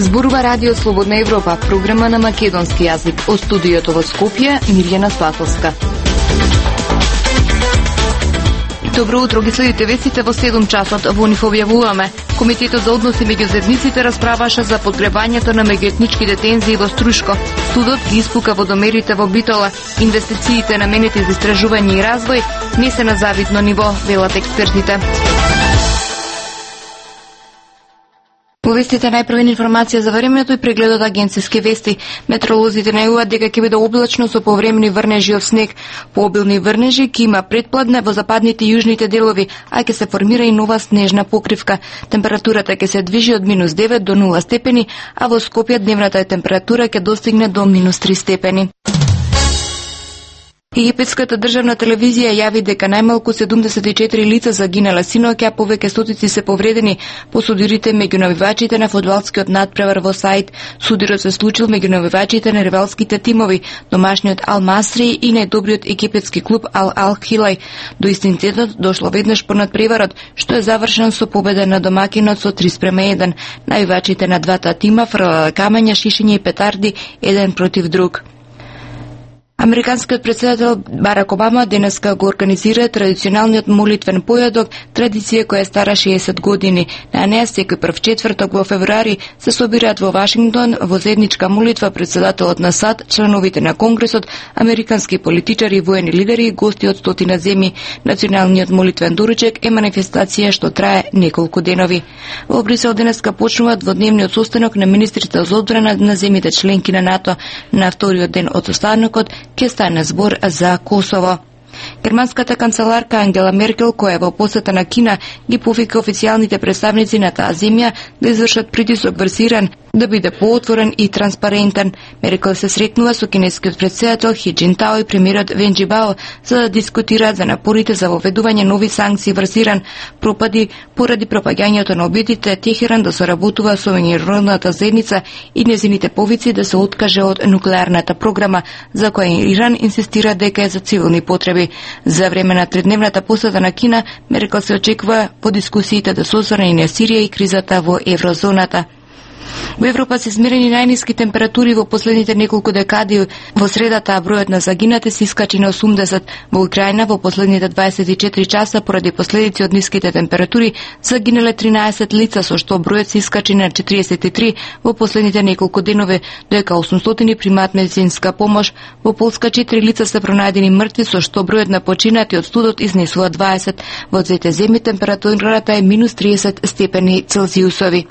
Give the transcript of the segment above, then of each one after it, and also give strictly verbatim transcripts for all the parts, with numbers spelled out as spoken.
Зборува Радио Слободна Европа, програма на македонски јазик. Од студиото во Скопје, Мирјана Спасовска. Добро утро, ги следите вестите во седум часот. Во нив објавуваме: Комитетот за односи меѓу заедниците расправаше за подгребањето на меѓуетничките тензии во Струшко. Судот ги испука водомерите во Битола. Инвестициите наменети за истражување и развој не се на завидно ниво, велат експертите. Во вестите најпрвен информација за времето и прегледот агенцијски вести. Метеоролозите најавуваат дека ќе биде облачно со повремени врнежи од снег. Пообилни врнежи ќе има предпладне во западните и јужните делови, а ќе се формира и нова снежна покривка. Температурата ќе се движи од минус девет до нула степени, а во Скопје дневната температура ќе достигне до минус три степени. Египетската државна телевизија јави дека најмалку седумдесет и четири лица загинале синоќа, а повеќе стотици се повредени по судирите меѓу навивачите на фудбалскиот надпревар во Саид. Судирот се случил меѓу навивачите на ривалските тимови, домашниот Ал Масри и најдобриот египетски клуб Ал Ал Хилај. До инцидентот дошло веднаш по надпреварот, што е завршен со победа на домакинот со три спрема еден. Навивачите на двата тима фрлале камења, шишење и петарди еден против друг. Американскиот председател Барак Обама денеска го организира традиционалниот молитвен појадок, традиција која е стара шеесет години. На неа секој прв четврток во февруари се собираат во Вашингтон во заедничка молитва председателот на САД, членовите на Конгресот, американски политичари, воени лидери и гости од стотина земји. Националниот молитвен доручек е манифестација што трае неколку денови. Во Брисел денеска почнува дводневниот состанок на министрите за одбрана на земјите членки на НАТО. На вториот ден од состанокот ќе стане збор за Косово. Германската канцеларка Ангела Меркел, која е во посета на Кина, ги повика официјалните представници на таа земја да извршат притисок врз Иран да биде поотворен и транспарентен. Меркел се сретнува со кинескиот председател Хи Џинтао и премиерот Вен Џибао за да дискутираат за напорите за воведување нови санкции врз Иран, пропади поради пропагањето на обидите Техеран да соработува со меѓународната заедница и незините повици да се откаже од нуклеарната програма, за која Иран инсистира дека е за цивилни потреби. За време на тридневната посета на Кина, Меркел се очекува по дискусиите да се осврне и на Сирија и кризата во еврозоната. Во Европа се измерени најниски температури во последните неколку декади. Во средата бројот на загинати се искачи на осумдесет. Во Украина во последните дваесет и четири часа поради последици од ниските температури загинале тринаесет лица, со што бројот се искачи на четиридесет и три во последните неколку денови, додека осумстотини примаат медицинска помош. Во Полска четири лица се пронајдени мртви, со што бројот на починати од студот изнесува дваесет. Во двете земји температурата е минус триесет степени Целзиусови.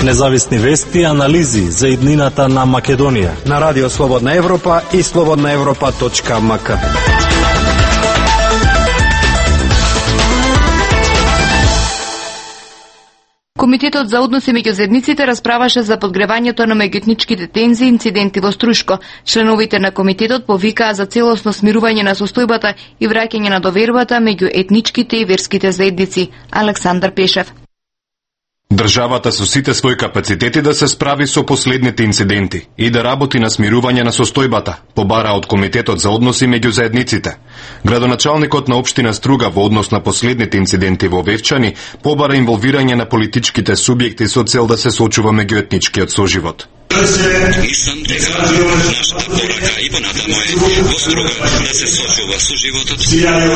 Независни вести и анализи за иднината на Македонија на Радио Слободна Европа и слободна европа точка ем ка. Комитетот за односи меѓу заедниците расправаше за подгревањето на меѓуетничките тензии и инциденти во Струшко. Членовите на комитетот повикаа за целосно смирување на состојбата и враќање на довербата меѓу етничките и верските заедници. Александар Пешев. Државата со сите своји капацитети да се справи со последните инциденти и да работи на смирување на состојбата, побара од Комитетот за односи меѓу заедниците. Градоначалникот на општина Струга во однос на последните инциденти во Вевчани побара инволвирање на политичките субјекти со цел да се сочува меѓуетничкиот соживот. Мислам дека нашата порака и понатамо е во Струга да се сочува соживотот, како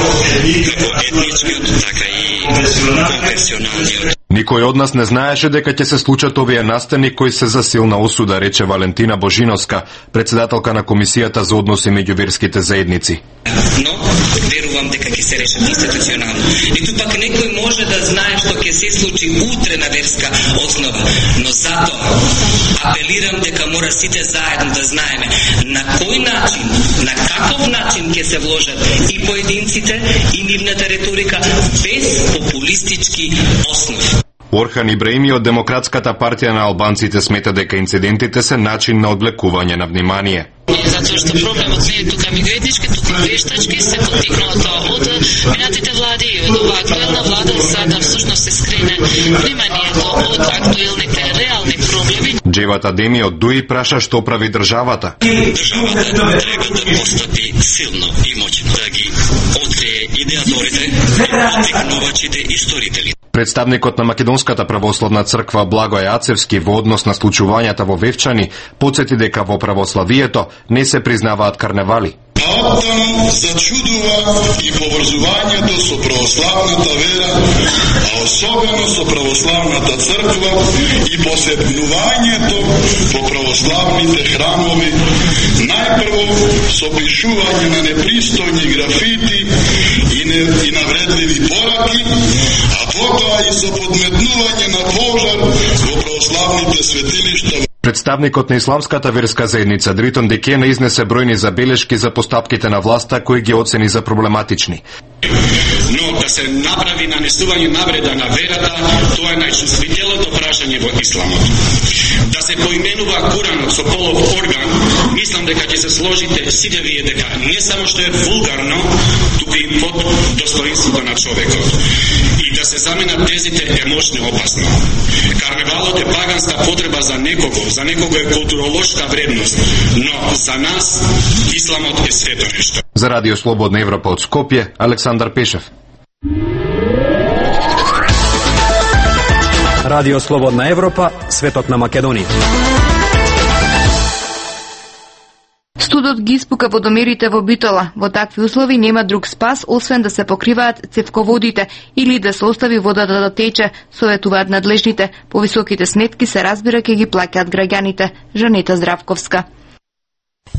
етничкиот, така и конфесионалниот. Никој од нас не знаеше дека ќе се случат овие настани кои се за силна осуда, рече Валентина Божиновска, председателка на Комисијата за односи меѓу верските заедници. Но верувам дека ќе се решат институционално. Ниту пак некој може да знае што ќе се случи утре на верска основа, но затоа апелирам дека мора сите заедно да знаеме на кој начин, на каков начин ќе се вложат и поединците и нивната реторика без популистички основи. Орхан Ибраими од Демократската партија на албанците смета дека инцидентите се начин на одвлекување на внимание. Затоа што проблемот не е тука меѓуетнички, туку вештачки, се поттикнато од минатите влади и од оваа актуелна влада за да всушност се скрене вниманието од актуелните реални проблеми. Джевата Деми од Дуи праша што прави државата. Државата треба да постапи силно и моќно, да ги открие идеаторите, поттикнувачите и сторителите. Представникот на Македонската православна црква Благој Ацевски во однос на случувањата во Вевчани потсети дека во православието не се признаваат карневали. А оттаму зачудува и поврзувањето со православната вера, а особено со православната црква и посебнувањето по православните храмови, најпрво со пишување на непристојни графити и, не, и навредливи пораки, а потоа и со подметнување на пожар во православните светилишта. Представникот на исламската верска заедница Дритон Декена изнесе бројни забелешки за постапките на власта кои ги оцени за проблематични. Но да се направи нанесување навреда на верата, тоа е најчувствителното прашање во исламот. Да се поименува Куранот со полов орган, мислам дека ќе се сложите сите вие дека не само што е вулгарно, туку и под достоинството на човекот. И да се заменат тезите е мощно опасно. Карневалот е паганска потреба за некого, за некого е културолошка вредност, но за нас исламот е свето нешто. За Радио Слободна Европа од Скопје, Александар Пешев. Радио Слободна Европа, светот на Македонија. Студот ги испука водомерите во Битола. Во такви услови нема друг спас, освен да се покриваат цевководите или да се остави водата да тече, советуваат надлежните. Повисоките сметки се разбира ќе ги плаќаат граѓаните. Жанета Здравковска.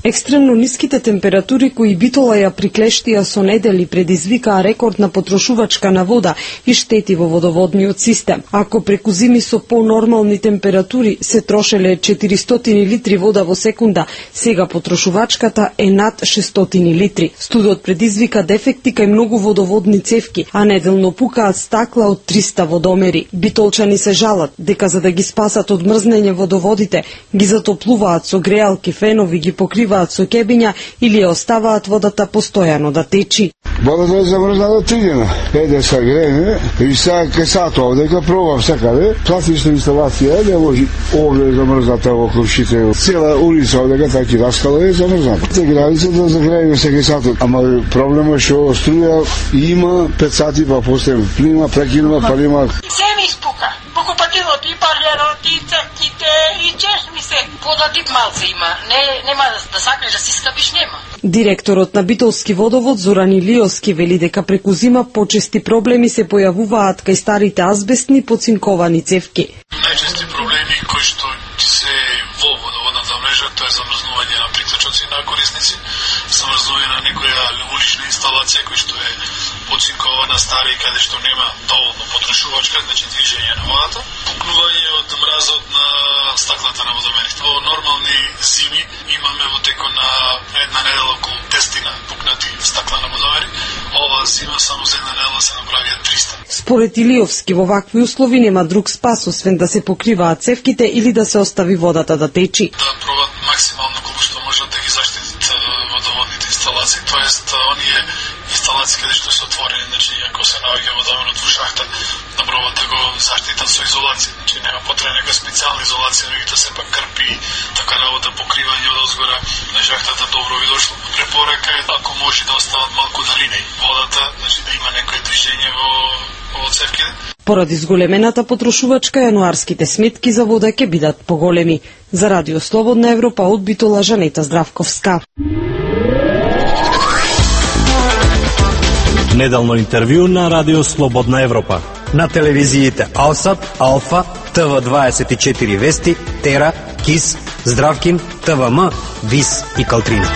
Екстремно ниските температури кои Битола ја приклештија со недели предизвикаа рекордна потрошувачка на вода и штети во водоводниот систем. Ако преку зими со понормални температури се трошеле четиристотини литри вода во секунда, сега потрошувачката е над шестстотини литри. Студот предизвика дефекти кај многу водоводни цевки, а неделно пукаат стакла од триста водомери. Битолчани се жалат дека за да ги спасат од мрзнење водоводите, ги затоплуваат со греалки, фенови, ги покриваат со кебиња или ја оставаат водата постојано да течи. Водата е замрзната три дена. Еде са грене и сега ке сато овдека пробав секаде. Класична инсталација е, не може овде замрзната во крушите. Цела улица овдека таки раскала е замрзната. Те границата да загрееме секај сато. Ама проблема што струја има пет сати па после плима, прекинува, па нема. Се ми испука. Покупативот и парлерот и црките и чеш ми се. Вода тип малце има. Не, нема да сакнеш да си скапиш, нема. Директорот на Битолски водовод Зоран Илиовски вели дека преку зима почести проблеми се појавуваат кај старите азбестни поцинковани цевки. Најчести проблеми кои што се во водоводната мрежа, тоа е замрзнување на приклучоци на корисници, замрзнување на некоја улична инсталација кој што е поцинкована стара и каде што нема доволно потрошувачка, значи движење на водата, пукнување од мразот на стаклата на водомерите. Во нормални зими имаме во текот на една недела околу десетина пукнати стакла на водомери. Ова зима само за една недела се направија триста. Според Илиовски, во вакви услови нема друг спас освен да се покриваат цевките или да се остави водата да течи. Да пробат максимално колку што можат да ги заштитат водоводните инсталации, тоест оние инсталации каде што се отворени, значи ако се наоѓа водоменот во шахта, да пробат да го заштитат со изолација. Значи нема потреба нека специјална изолација, меѓутоа се пак крпи, така работа покривање од озгора на шахтата добро ви дошло. Препорака е ако може да остават малку далина водата, значи да има некое движење во во цевките. Поради зголемената потрошувачка, јануарските сметки за вода ќе бидат поголеми. За Радио Слободна Европа од Битола, Жанета Здравковска. Неделно интервју на Радио Слободна Европа. На телевизиите Алсат, Алфа, Т В дваесет и четири Вести, Тера, Кис, Здравкин, Т В М, Вис и Калтрина.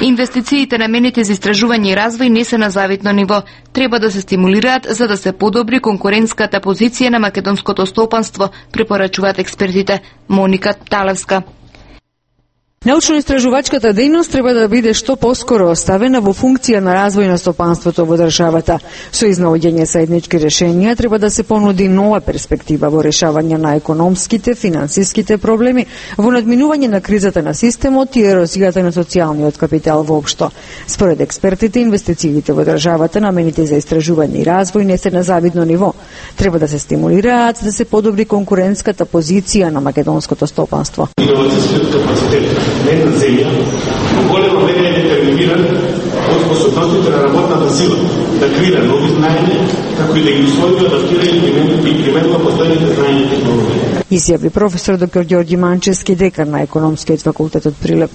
Инвестициите наменети за истражување и развој не се на завидно ниво. Треба да се стимулираат за да се подобри конкурентската позиција на македонското стопанство, препорачуваат експертите. Моника Талевска. Научно-истражувачката дејност треба да биде што поскоро оставена во функција на развој на стопанството во државата. Со изнаоѓање заеднички решенија треба да се понуди нова перспектива во решавање на економските, финансиските проблеми, во надминување на кризата на системот и ерозијата на социјалниот капитал воопшто. Според експертите, инвестициите во државата наменети за истражување и развој не се на завидно ниво. Треба да се стимулираат за да се подобри конкурентската позиција на македонското стопанство. Иновацијскиот капацитет на една земја во голема мера е детерминиран сила, да креира нови знаења, како и да ги усвои, адаптира и применува постојните знаења и технологии. Изјави професор доктор Ѓорѓи Манчевски, декан на Економскиот факултет од Прилеп.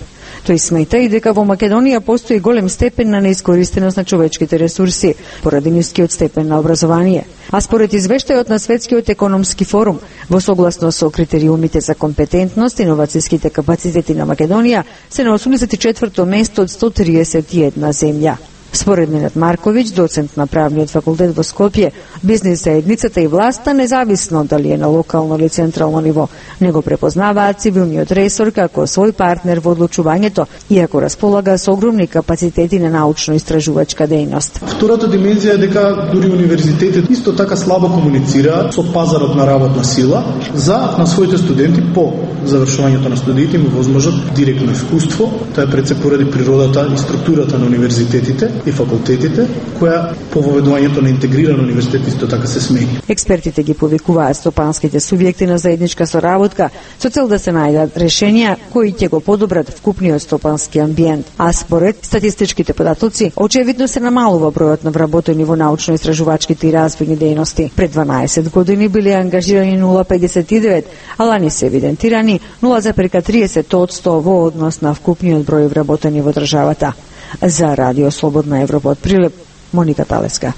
Тој смета и дека во Македонија постои голем степен на неискористеност на човечките ресурси, поради нискиот степен на образование. А според извештајот на Светскиот економски форум, во согласно со критериумите за компетентност, иновацијските капацитети на Македонија се на осумдесет и четврто место од сто триесет и една земја. Според Ненад Марковиќ, доцент на правниот факултет во Скопје, бизнес заедницата и власта, независно дали е на локално или централно ниво, не го препознаваат цивилниот ресор како свој партнер во одлучувањето, иако располага со огромни капацитети на научно-истражувачка дејност. Втората димензија е дека дури универзитетите исто така слабо комуницираат со пазарот на работна сила за на своите студенти по завршувањето на студиите им возможат директно искуство. Тоа е пред се поради природата и структурата на универзитетите и факултетите, која по воведувањето на интегриран универзитет исто така се смени. Експертите ги повикуваат стопанските субјекти на заедничка соработка со цел да се најдат решенија кои ќе го подобрат вкупниот стопански амбиент. А според статистичките податоци, очевидно се намалува бројот на вработени во научно-истражувачките и развојни дејности. Пред дванаесет години биле ангажирани нула зарез педесет и девет, а лани се евидентирани нула зарез триесет одсто во однос на вкупниот број вработени во државата. За Радио Слободна Европа од Прилеп, Моника Талеска.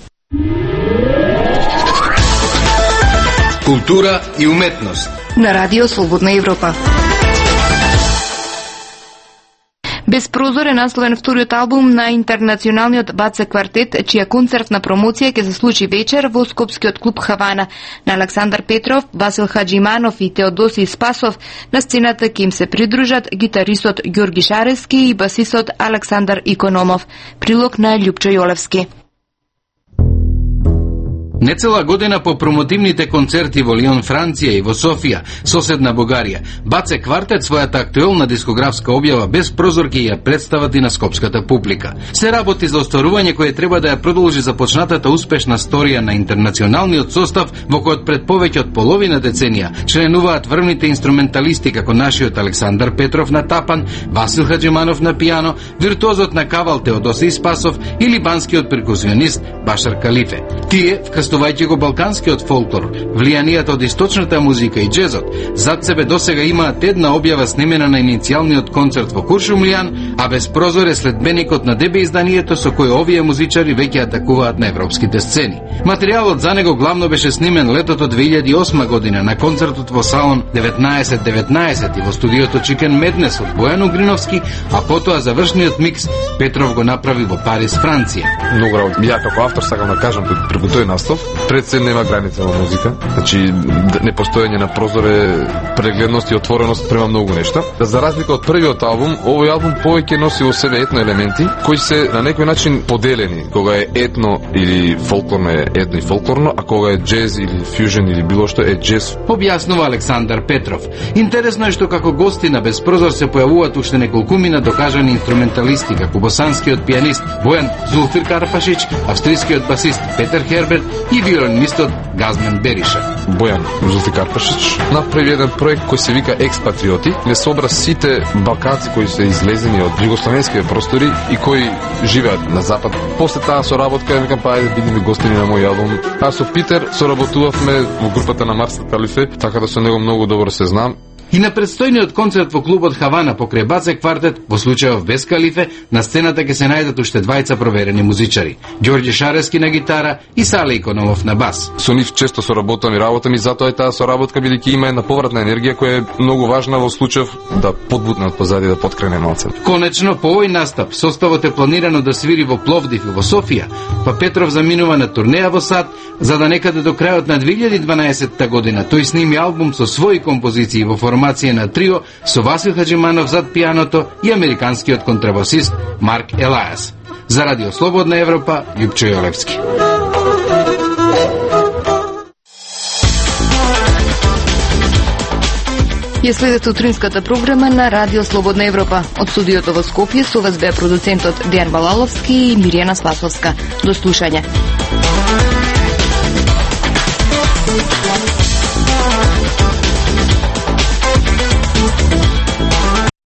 Култура и уметност на Радио Слободна Европа. Без прозор е насловен вториот албум на интернационалниот Баце квартет, чија концертна промоција ќе се случи вечер во Скопскиот клуб Хавана. На Александар Петров, Васил Хаджиманов и Теодоси Спасов на сцената ќе им се придружат гитаристот Ѓорги Шарески и басистот Александар Икономов. Прилог на Љупчо Јолевски. Нецела година по промотивните концерти во Лион, Франција и во Софија, соседна Бугарија, Баце квартет својата актуелна дискографска објава без прозорки ја представат и на скопската публика. Се работи за остварување кое треба да ја продолжи започнатата успешна сторија на интернационалниот состав, во којот пред повеќе од половина деценија членуваат врвните инструменталисти како нашиот Александар Петров на тапан, Васил Хаджиманов на пијано, виртуозот на кавал Теодоси Спасов или банскиот перкусионист Башар Калифе. Тие, вкрстувајќи го балканскиот фолклор, влијанијата од источната музика и джезот, зад себе досега имаат една објава снемена на иницијалниот концерт во Куршумлијан, а без прозор е следбеникот на ДБ изданието со кој овие музичари веќе атакуваат на европските сцени. Материјалот за него главно беше снимен летото две илјади и осма година на концертот во салон деветнаесет деветнаесет и во студиото Chicken Madness од Бојан Угриновски, а потоа завршниот микс Петров го направи во Париз, Франција. Многу работи. Ја како автор сакам да кажам преку тој настав, пред се нема граница во музика. Значи непостоење на прозор е прегледност и отвореност према многу нешта. За разлика од првиот албум, овој албум повеќе носи во себе етно елементи кои се на некој начин поделени. Кога е етно или фолклорно е етно и фолклорно, а кога е джез или фјужен или било што е джез. Објаснува Александар Петров. Интересно е што како гости на Без прозор се појавуваат уште неколкумина докажани инструменталисти, како босанскиот пијанист Бојан Зулфир Карпашич, австрискиот басист Петер Херберт и виолинистот Газмен Бериша. Бојан Зулфир Карпашич направи еден проект кој се вика Експатриоти, не собра сите балканци кои се излезени од југословенските простори и кои живеат на запад. После таа соработка, викам, па ајде бидеме гостини на мој албум. А со Питер соработувавме во групата на Марса Калифе, така да со него многу добро се знам. И на предстојниот концерт во клубот Хавана покрај Баце квартет, во случајов без Калифе, на сцената ќе се најдат уште двајца проверени музичари. Ѓорѓи Шарески на гитара и Сале Икономов на бас. Со нив често соработам и работам и затоа е таа соработка, бидејќи има една повратна енергија која е многу важна во случајов да подбутнат позади, да подкрене малце. Конечно, по овој настап составот е планирано да свири во Пловдив и во Софија, па Петров заминува на турнеја во САД, за да некаде до крајот на две илјади и дванаесетта година тој сними албум со своји композиции во формација на трио со Васил Хаджиманов зад пијаното и американскиот контрабасист Марк Елајас. За Радио Слободна Европа, Љупчо Јолевски. Ја следете утринската програма на Радио Слободна Европа. Од студиото во Скопје со вас беа продуцентот Дејан Балаловски и Миријана Спасовска. До слушање.